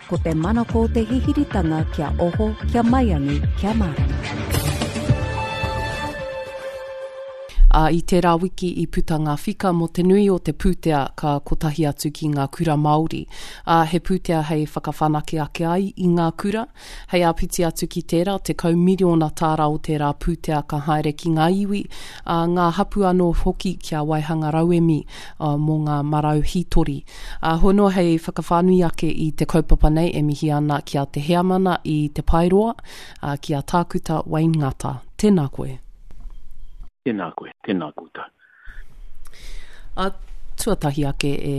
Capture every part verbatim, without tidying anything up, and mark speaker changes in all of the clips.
Speaker 1: Ko te manako o te hihiritanga kia oho, kia maiangi, kia mārama.
Speaker 2: Ā, i tērā wiki i puta ngā whika mō te nui o te pūtea ka kotahi atu ki ngā kura Māori. Ā, he pūtea hei whakawhanake ake ai i ngā kura. Hei āpiti atu ki tērā, tekau miriona tāra o tērā pūtea ka haere ki ngā iwi, ā, ngā hapū anō hoki kia waihanga rauemi ā, mō ngā marau hītori. Ā, hono hei whakawhānui ake i te kaupapa nei e mihi ana ki a Te Heamana i Te Paeroa, ā, ki a Tākuta Wayne Ngata. Tēnā koe.
Speaker 3: Tēnā koe, tēnā koutou.
Speaker 2: A, tuatahi ake e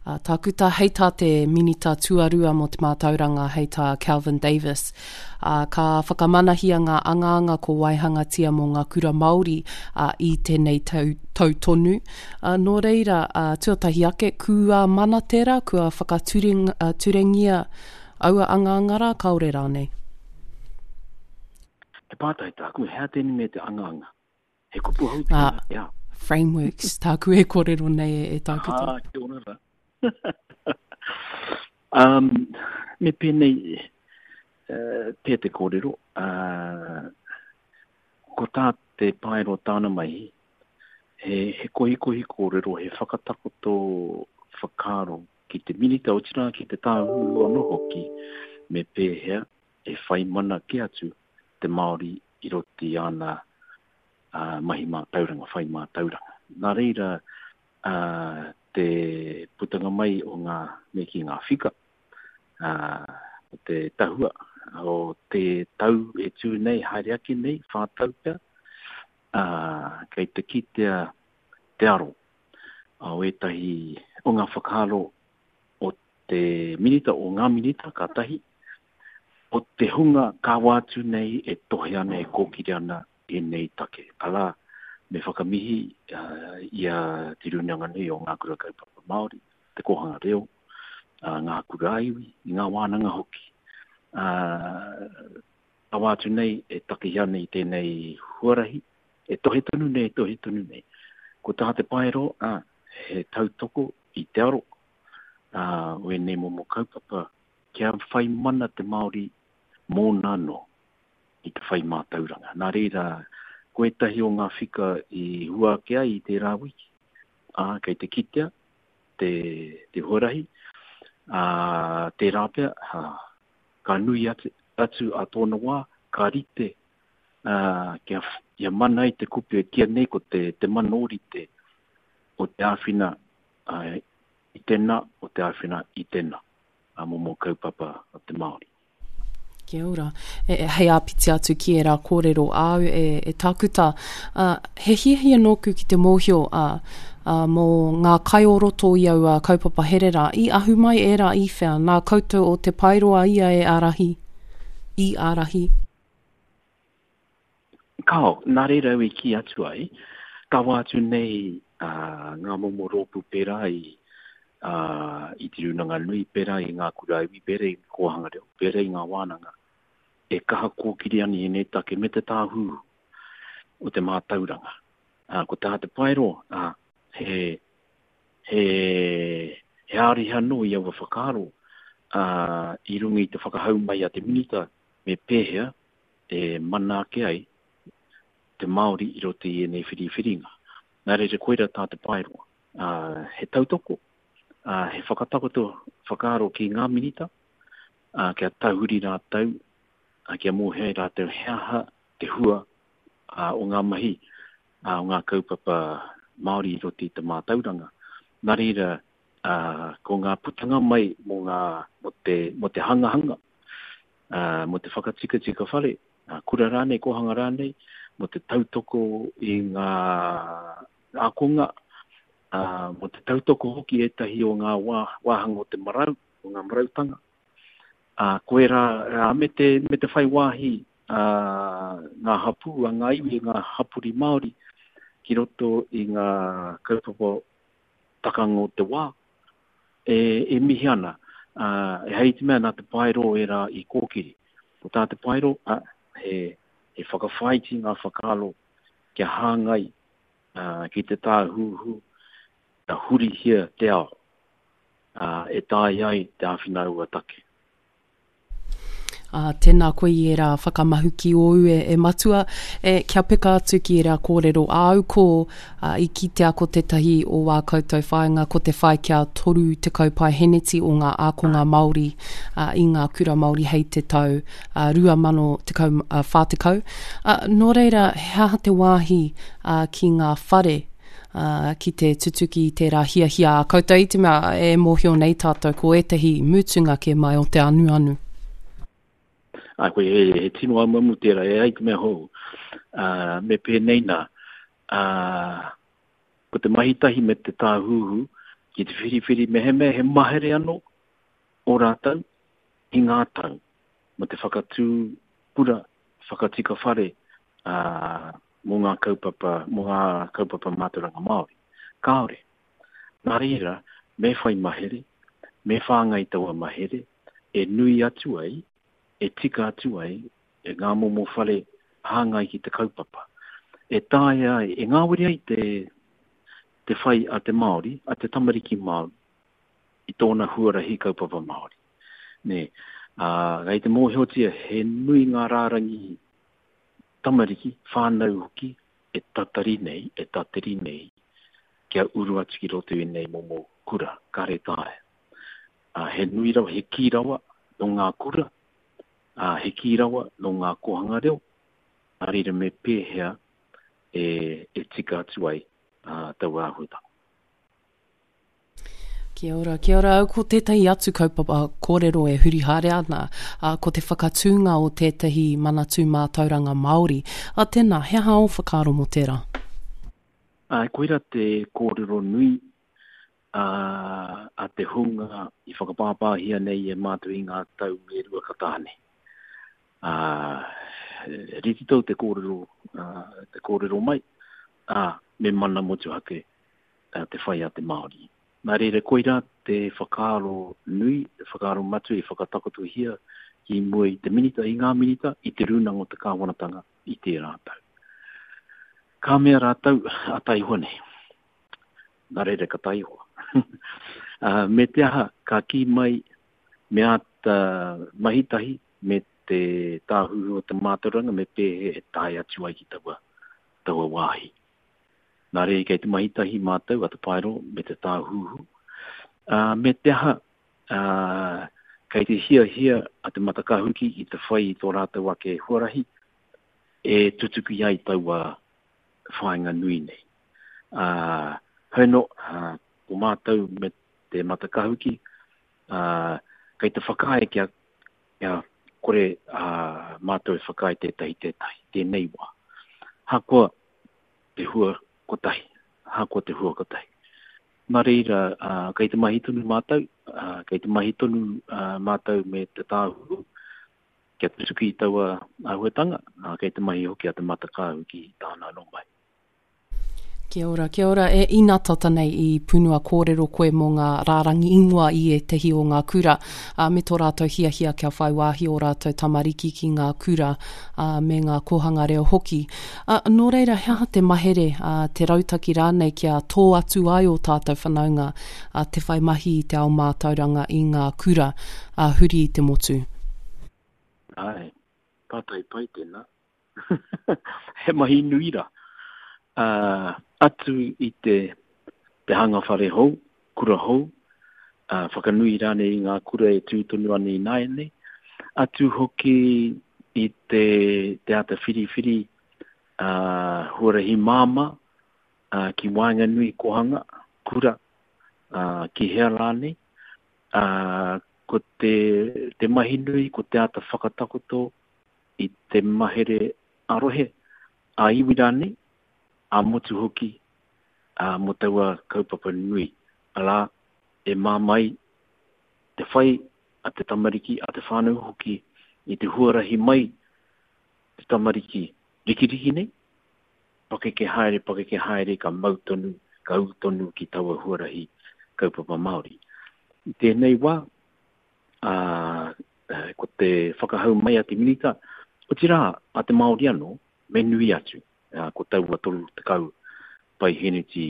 Speaker 2: a, Tākuta, hei tā te Minita Tuarua mō te Mātauranga, hei tā Kelvin Davis, a, ka whakamanahia ngā angaanga ko waihangatia mō ngā kura Māori a, i tēnei tau, tau tonu. A, nō reira, a, tuatahi ake, kua mana tērā, kua whakaturengia aua angaanga rā, kāore rānei?
Speaker 3: He pātai tāku, he aha tēnei me te angaanga? He kupu hou tēnā,
Speaker 2: Ah,
Speaker 3: ia.
Speaker 2: Frameworks, tāku e kōrero nei e, e Tākuta.
Speaker 3: Ah, kia ora rā. um, me pēnei uh, pē te kōrero, uh, ko tā te Paeroa tāna mahi, he, he kohikohi kōrero, he whakatakoto whakaaro ki te minita, otirā ki te tāhuhu anō hoki, me pēhea e whai mana ke atu te Māori i roto i ana uh, mahi mātauranga, whai mātauranga. Nā reira, uh, te putanga mai o ngā, me ki ngā whika, uh, o te tahua, o te tau e tū nei, haere ake nei, whā tau pea, uh, kei te kitea te aro o ētahi o ngā whakaaro o te minita, o ngā minita ka tahi, o te hunga kāwa atu nei e tohe ana, e kōkiri ana ēnei take. Arā, me whakamihi uh, i a Te Rūnanga Nui o Ngā Kura Kaupapa Māori, te Kōhanga Reo, uh, ngā kura iwi, i ngā wānanga hoki. Uh, kawa atu nei e takihi ana i tēnei huarahi, e tohe tonu nei, e tohe tonu nei. Ko tā te Paeroa, uh, he tautoko i te aro uh, o ēnei momo kaupapa kia whai mana te Māori mōna anō i te whai mātauranga. Nā reira, ko ētahi o ngā whika i hua ake ai i tērā wiki, ā, kei te kitea te, te huarahi, ā, tērā pea, ā, ka nui atu, atu a tōna wā, ka rite, ā, kia, kia mana ai te kupu e kīia nei ko te, te mana ōrite o te āwhina, ā, i tēnā, o te āwhina i tēnā, ā, momo kaupapa o te Māori.
Speaker 2: Kia ora. E, e, hei āpiti atu ki ērā kōrero āu e, e Tākuta. Uh, he hiahia nōku ki te mōhio uh, uh, mō ngā kai o roto i aua kaupapa here rā. I ahu mai ērā i whea, nā koutou o Te Paeroa ia e ārahi? I ārahi?
Speaker 3: Kao, nā reira au i kī atu ai, kawa atu nei uh, ngā momo rōpū pērā i, uh, i Te Rūnanga Nui, pērā i ngā kura iwi, pērā i Kōhanga Reo, pērā i ngā wānanga, e kaha kōkiri ana i ēnei take me te tāhuhu o te mātauranga. Uh, ko tā te Paeroa, uh, he, he, he āriha anō i aua whakaaro, uh, i runga i te whakahau mai a te minita me pēhea e mana ake ai te Māori i roto i ēnei whiriwhiringa. Nā reira koira tā te Paeroa. Uh, he tautoko, uh, he whakatakoto whakaaro ki ngā minita, uh, kia tahuri rātou, uh, kia mōhio ai rātou he aha te hua, uh, o ngā mahi, uh, o ngā kaupapa Māori i roto i te mātauranga. Nā reira, uh, ko ngā putanga mai mō ngā, mō te, mō te hangahanga, uh, mō te whakatikatika whare, uh, kura rānei, kōhanga rānei, mō te tautoko i ngā ākonga, uh, mō te tautoko hoki ētahi o ngā wā, wāhanga o te marau, o ngā marautanga. Uh, ko ērā, uh, me te, me te whai wāhi, uh, ngā hapū, a ngā iwi, ngā hapori Māori ki roto i ngā kaupapa takanga o te wā, e, e mihi ana. Uh, e hei te mea nā te Paeroa ērā i kōkiri. Ko tā te Paeroa, uh, he, he whakawhāiti ngā whakaaro kia hāngai, uh, ki te tāhuhu, kia hurihia te ao, uh, e tae ai te āwhina aua take.
Speaker 2: Ā, tēnā koe i ērā whakamahuki ōu e, e matua, e, kia peka atu ki ērā kōrero āu ko, ā, i kitea ko tētahi o wā koutou whāinga ko te whai kia toru tekau paeheneti o ngā ākonga Māori, ā, i ngā kura Māori hei te tau, ā, rua mano tekau, ā, whā tekau. Ā, nō reira, he aha te wāhi, ā, ki ngā whare, ā, ki te tutuki i tērā hiahia a koutou, i te mea e mōhio nei tātou ko ētahi mutunga kē mai o te anuanu?
Speaker 3: Āe, koe, he, he tino amuamu tērā, e ai te mea hou. Ā, me pēnei nā, ā, ko te mahi tahi me te Tāhuhu ki te whiriwhiri mehemea he mahere anō o rātou i ngā tau mō te whakatū kura, whakatika whare, ā, mō ngā kaupapa, mō ngā kaupapa mātauranga Māori. Kāore. Nā reira, me whai mahere, me whāngai taua mahere e nui atu ai, e tika atu ai ngā momo whare hāngai ki te kaupapa. E taea ai, e ngāwari ai te, te whai a te Māori, a te tamariki Māori, i tōna huarahi kaupapa Māori. Nē, ā, kei te mōhiotia he nui ngā rārangi tamariki, whānau hoki, e tatari nei, e tatari nei, kia uru atu ki roto i ēnei momo kura, kāre taea. Ā, he nui rawa, he kī rawa nō ngā kura, ā, he kī rawa nō ngā kōhanga reo, nā reira me pēhea e, e tika atu ai ā, taua āhuatanga.
Speaker 2: Kia ora, kia ora. Ko tētahi atu kaupapa kōrero e huri haere ana, ā, ko te whakatūnga o tētahi manatū mātauranga Māori. Ā, tēnā, he aha ō whakaaro mō tērā?
Speaker 3: Āe, koirā te kōrero nui a, a te hunga i whakapāpāhia nei e mātou i ngā tau e rua ka taha nei. Ā, rite tou te kōrero, ā, te kōrero mai, ā, me mana motuhake te whai a te Māori. Nā reira, koirā te whakaaro nui, te whakaaro matua i whakatakotohia ki mua i te Minita, i ngā Minita, i te Rūnanga o te Kāwanatanga i tērā tau. Ka mea rātou, a taihoa nei. Nā reira ka taihoa. uh, me te aha, ka kī mai, me āta mahi tahi, me te tāhuhu o te mātauranga, me pēhea e tae atu ai ki taua, taua wāhi. Nā reira kei te mahi tahi mātou a Te Paeroa me te Tāhuhu. Uh, me te aha, uh, kei te hiahia a Te Matakahuki i te whai i tō rātou ake huarahi e tutuki ai taua whāinga nui nei. Uh, hoi anō, uh, ko mātou me Te Matakahuki, uh, kei te whakaae kia, kia kore uh, mātou e whakaae tētahi tētahi, tēnei wā. Hakoa te hua kotahi, ahakoa te hua kotahi. Nā reira, uh, kei te mahi tonu mātou, uh, kei te mahi tonu uh, mātou me te Tāhuhu, kia tutuki i taua āhuatanga, uh, kei te mahi hoki a Te Matakāhuki i tāna anō mahi.
Speaker 2: Kia ora, kia ora. E ina tata nei i punua kōrero koe mō ngā rārangi ingoa i ētahi o ngā kura, ā, me tō rātou hiahia kia whai wāhi ō rātou tamariki ki ngā kura, ā, me ngā kōhanga reo hoki. Ā, nō reira, he aha te mahere, ā, te rautaki rānei kia tō atu ai ō tātou whanaunga, ā, te whai mahi i te ao mātauranga i ngā kura, ā, huri i te motu?
Speaker 3: Āe, pātai pai tēnā. He mahi nui rā. Ā, atu i te, te hanga whare hou, kura hou, ā, whakanui rānei i ngā kura e tū tonu ana ināianei, atu hoki i te, te āta whiriwhiri ā, huarahi māmā ā, ki waenganui kohanga, kura, ā, ki hea rānei, ā, ko te, te mahi nui, ko te āta whakatakoto i te mahere ā-rohe, ā-iwi rānei, ā-motu hoki, ā, mō taua kaupapa nui, arā, e māmā ai te whai a te tamariki, a te whānau hoki, i te huarahi mai te tamariki rikiriki nei, pakeke haere, pakeke haere, ka mau tonu, ka ū tonu ki taua huarahi kaupapa Māori. I tēnei wā, ā, ko te whakahau mai a te Minita, otirā, a te Māori anō, me nui atu, ā, ko taua toru tekau paiheneti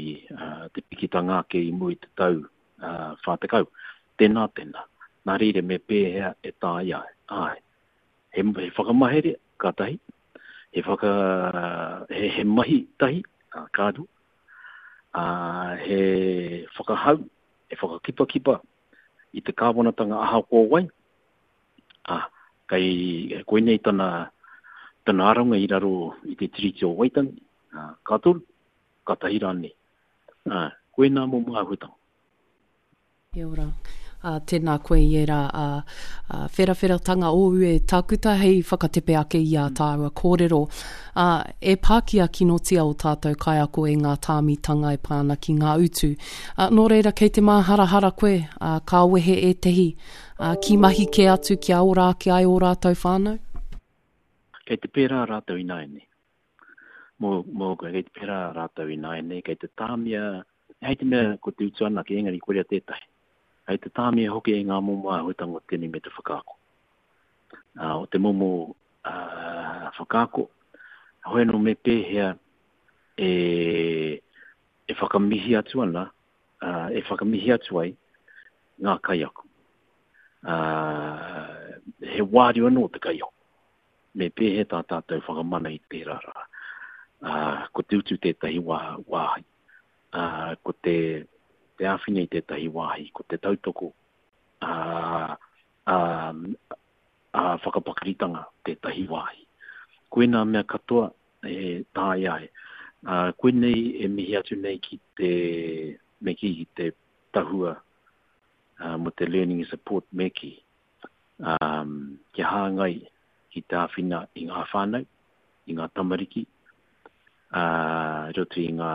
Speaker 3: te pikitanga ake i mua i te tau whā tekau. Tēnā, tēnā. Nā reira, me pēhea e taea ai? Āe, He, he whakamahere, ka tahi, he, whaka, he, he mahi tahi, ka rua, uh, he whakahau, he whakakipakipa i te kāwanatanga ahakoa wai, ah, kei koinei tana, tana aronga i raro i te Tiriti o Waitangi, ah, ka toru, ka tahi rānei. Ah, koinā momo āhuatanga.
Speaker 2: Kia ora. Uh, tēnā koe i ērā uh, uh, wherawheratanga ōu e Tākuta hei whakatepe ake i ā tāua kōrero. Uh, e pākia kinotia o tātou kaiako e ngā tāmitanga e pā ana ki ngā utu. Uh, nō reira, kei te māharahara koe, uh, ka wehe ētehi uh, ki mahi kē atu kia ora ake ai ō rātou whānau?
Speaker 3: Kei te pērā rātou ināianei. Mō, mō, kei te pērā rātou ināianei, kei te tāmia, hei te mea ko te utu anake, engari korea tētahi. Hei te tāmia hoki e ngā momo āhuatanga o tēnei me te whakaako. Uh, o te momo uh, whakaako, hoi anō me pēhea e, e whakamihi atu ana, uh, e whakamihi atu ai ngā kaiako. Uh, he wāriu anō te kaiako. Me pēhea tā tātou whakamana i tērā rā. Uh, ko te utu tētahi wā, wāhi. Uh, ko te, te āwhina i tētahi wāhi, ko te tautoko a, a, a whakapakaritanga tētahi wāhi. Koinā mea katoa e taea ai. Uh, koinei e mihi atu nei ki te, me ki, ki te tahua uh, mo te learning support me ki, um, kia hāngai ki te āwhina i ngā whānau, i ngā tamariki, uh, roto i ngā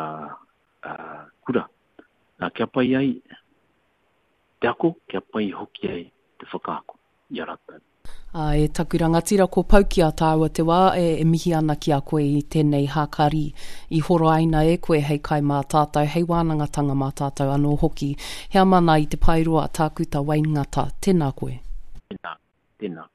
Speaker 3: uh, kura. Uh, kia pai ai te ako, kia pai hoki ai te whakaako i a rātou.
Speaker 2: Uh, e taku rangatira, ko pau ki a tāua te wā e, e mihi ana ki a koe i tēnei hākari i horoaina e koe hei kai mā tātou, hei wānangatanga mā tātou anō hoki. Heamana i te Paeroa, Tākuta Wayne Ngata, tēnā koe.
Speaker 3: Tēnā, tēnā.